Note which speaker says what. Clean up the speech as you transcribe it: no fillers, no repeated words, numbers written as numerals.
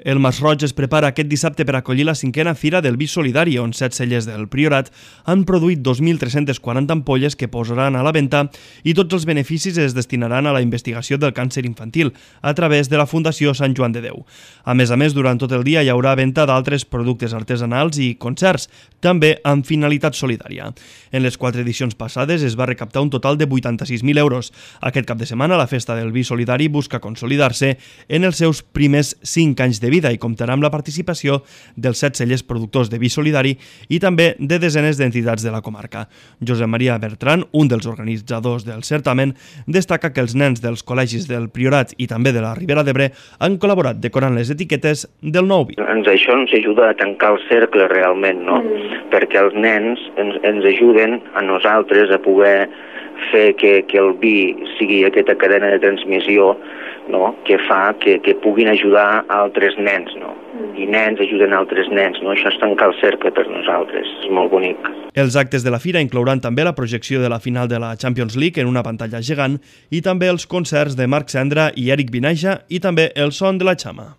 Speaker 1: El Masroig es prepara aquest dissabte per acollir la 5a Fira del Vi Solidari, on 7 cellers del Priorat han produït 2.340 ampolles que posaran a la venda i tots els beneficis es destinaran a la investigació del càncer infantil a través de la Fundació Sant Joan de Déu. A més, durant tot el dia hi haurà venda d'altres productes artesanals i concerts, també amb finalitat solidària. En les 4 edicions passades es va recaptar un total de 86.000 euros. Aquest cap de setmana la Festa del Vi Solidari busca consolidar-se en els seus primers 5 anys de vida i comptarà amb la participació dels 7 cellers productors de vi solidari i també de desenes d'entitats de la comarca. Josep Maria Bertran, un dels organitzadors del certamen, destaca que els nens dels col·legis del Priorat i també de la Ribera d'Ebre han col·laborat decorant les etiquetes del nou vi.
Speaker 2: Això ens ajuda a tancar el cercle realment, no? Perquè els nens ens ajuden a nosaltres a poder fer que el vi sigui aquesta cadena de transmissió, no? Que fa que puguin ajudar altres nens, no? I nens ajuden altres nens, no? Això és tancar el cercle per nosaltres, és molt bonic.
Speaker 1: Els actes de la fira inclouran també la projecció de la final de la Champions League en una pantalla gegant i també els concerts de Marc Cendra i Eric Binaja i també el son de la Xama.